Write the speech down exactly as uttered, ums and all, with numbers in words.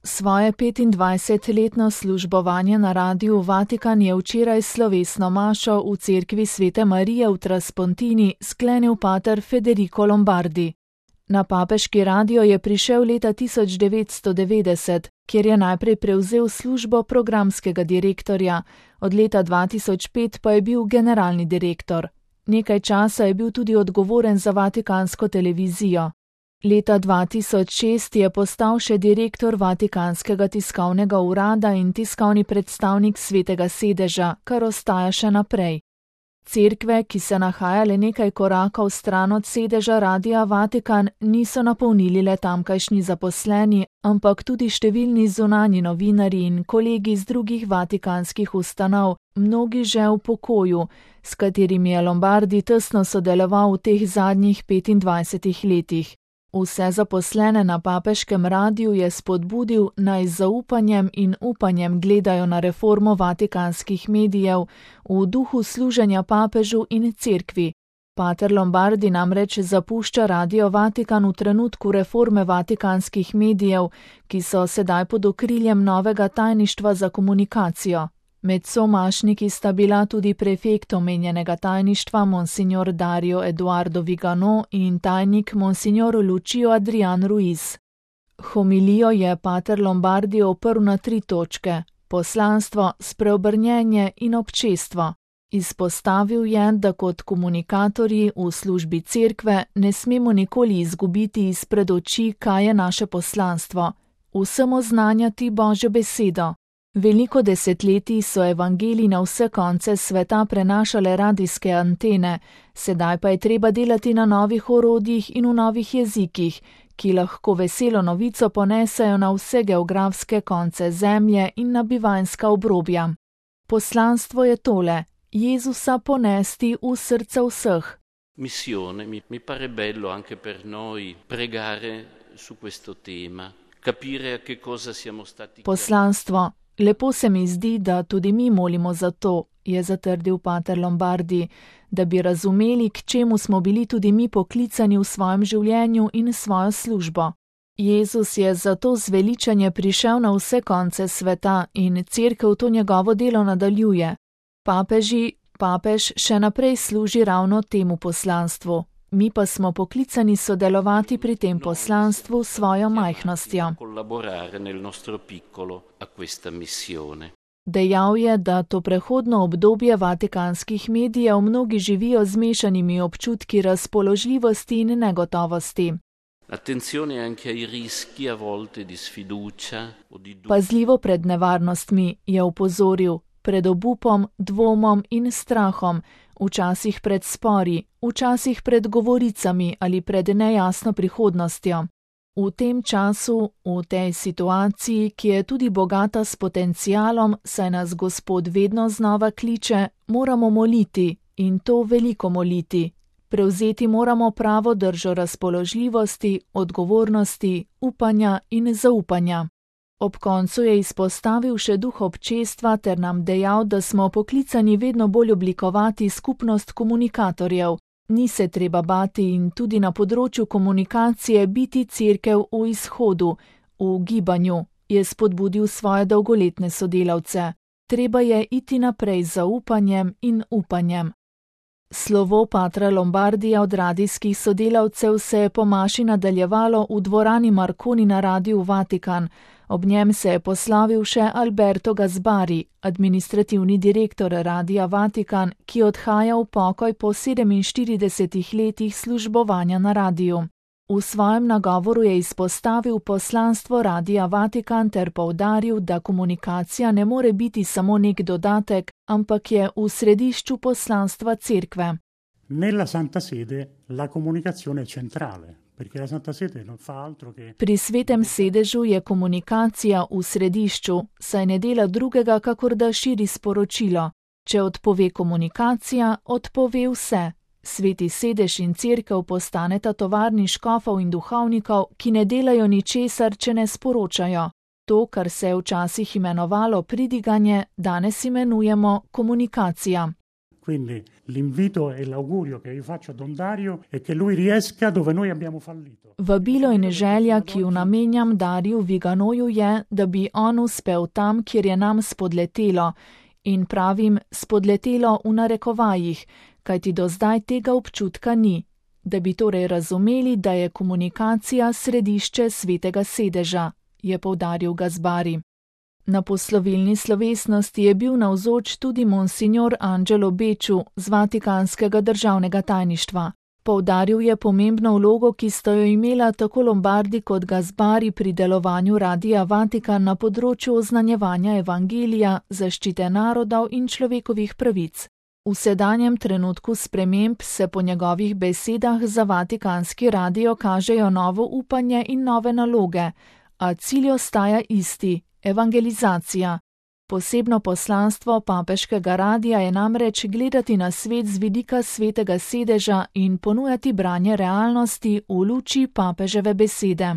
Svoje petindvajsetletno službovanje na Radiu Vatikan je včeraj slovesno mašo v cerkvi Svete Marije v Traspontini sklenil pater Federico Lombardi. Na papeški radio je prišel leta tisoč devetsto devetdeset, kjer je najprej prevzel službo programskega direktorja, od leta dva tisoč pet pa je bil generalni direktor. Nekaj časa je bil tudi odgovoren za vatikansko televizijo. Leta dva tisoč šest je postal še direktor Vatikanskega tiskovnega urada in tiskovni predstavnik Svetega sedeža, kar ostaja še naprej. Cerkve, ki se nahaja le nekaj korakov stran od sedeža Radia Vatikan, niso napolnili le tamkajšnji zaposleni, ampak tudi številni zunanji novinarji in kolegi z drugih vatikanskih ustanov, mnogi že v pokoju, s katerimi je Lombardi tesno sodeloval v teh zadnjih petindvajsetih letih. Vse zaposlene na papeškem radiju je spodbudil, naj z zaupanjem in upanjem gledajo na reformo vatikanskih medijev v duhu služenja papežu in cerkvi. Pater Lombardi namreč zapušča Radio Vatikan v trenutku reforme vatikanskih medijev, ki so sedaj pod okriljem novega tajništva za komunikacijo. Med somašniki sta bila tudi prefekt omenjenega tajništva monsignor Dario Eduardo Vigano in tajnik monsignor Lucio Adrian Ruiz. Homilijo je pater Lombardi oprl na tri točke: poslanstvo, spreobrnjenje in občestvo. Izpostavil je, da kot komunikatorji v službi cerkve ne smemo nikoli izgubiti izpred oči, kaj je naše poslanstvo: vsem oznanjati Božjo besedo. Veliko desetletij so evangeliji na vse konce sveta prenašale radijske antene, sedaj pa je treba delati na novih orodjih in v novih jezikih, ki lahko veselo novico ponesejo na vse geografske konce zemlje in na bivanjska obrobja. Poslanstvo je tole: Jezusa ponesti v srce vseh. Missione, mi, mi pare bello anche per noi pregare su questo tema, capire a che cosa siamo stati. Poslanstvo. Lepo se mi zdi, da tudi mi molimo za to, je zatrdil pater Lombardi, da bi razumeli, k čemu smo bili tudi mi poklicani v svojem življenju in svojo službo. Jezus je zato zveličanje prišel na vse konce sveta in cerkev to njegovo delo nadaljuje. Papeži, papež še naprej služi ravno temu poslanstvu. Mi pa smo poklicani sodelovati pri tem poslanstvu s svojo majhnostjo. Dejal je, da to prehodno obdobje vatikanskih medijev mnogi živijo z mešanimi občutki razpoložljivosti in negotovosti. Pazljivo pred nevarnostmi, je opozoril, pred obupom, dvomom in strahom, včasih pred spori, včasih pred govoricami ali pred nejasno prihodnostjo. V tem času, v tej situaciji, ki je tudi bogata s potencialom, saj nas Gospod vedno znova kliče, moramo moliti, in to veliko moliti. Prevzeti moramo pravo držo razpoložljivosti, odgovornosti, upanja in zaupanja. Ob koncu je izpostavil še duh občestva ter nam dejal, da smo poklicani vedno bolj oblikovati skupnost komunikatorjev. Ni se treba bati in tudi na področju komunikacije biti cerkev v izhodu, v gibanju, je spodbudil svoje dolgoletne sodelavce. Treba je iti naprej z zaupanjem in upanjem. Slovo patra Lombardija od radijskih sodelavcev se je po maši nadaljevalo v dvorani Marconi na Radiu Vatikan. Ob njem se je poslavil še Alberto Gasbari, administrativni direktor Radia Vatikan, ki odhaja v pokoj po sedeminštiridesetih letih službovanja na radiju. V svojem nagovoru je izpostavil poslanstvo Radia Vatikan ter poudaril, da komunikacija ne more biti samo nek dodatek, ampak je v središču poslanstva cerkve. Nella Santa Sede la comunicazione è centrale. Pri svetem sedežu je komunikacija v središču, saj ne dela drugega, kakor da širi sporočilo. Če odpove komunikacija, odpove vse. Sveti sedež in cerkev postaneta tovarni škofov in duhovnikov, ki ne delajo ničesar, če ne sporočajo. To, kar se je včasih imenovalo pridiganje, danes imenujemo komunikacija. Quindi l'invito e l'augurio che io faccio a Don Dario è che lui riesca dove noi abbiamo fallito. Vabilo in želja, ki jo namenjam Dariju Viganoju, je, da bi on uspel tam, kjer je nam spodletelo. In pravim spodletelo v narekovajih, kajti do zdaj tega občutka ni. Da bi torej razumeli, da je komunikacija središče svetega sedeža, je poudaril Gazbari. Na poslovilni slovesnosti je bil navzoč tudi monsignor Angelo Beču z Vatikanskega državnega tajništva. Poudaril je pomembno vlogo, ki sta jo imela tako Lombardi kot Gazbari pri delovanju Radia Vatikan na področju oznanjevanja evangelija, zaščite narodov in človekovih pravic. V sedanjem trenutku sprememb se po njegovih besedah za Vatikanski radio kažejo novo upanje in nove naloge, a cilj ostaja isti – evangelizacija. Posebno poslanstvo papeškega radia je namreč gledati na svet z vidika svetega sedeža in ponujati branje realnosti v luči papeževe besede.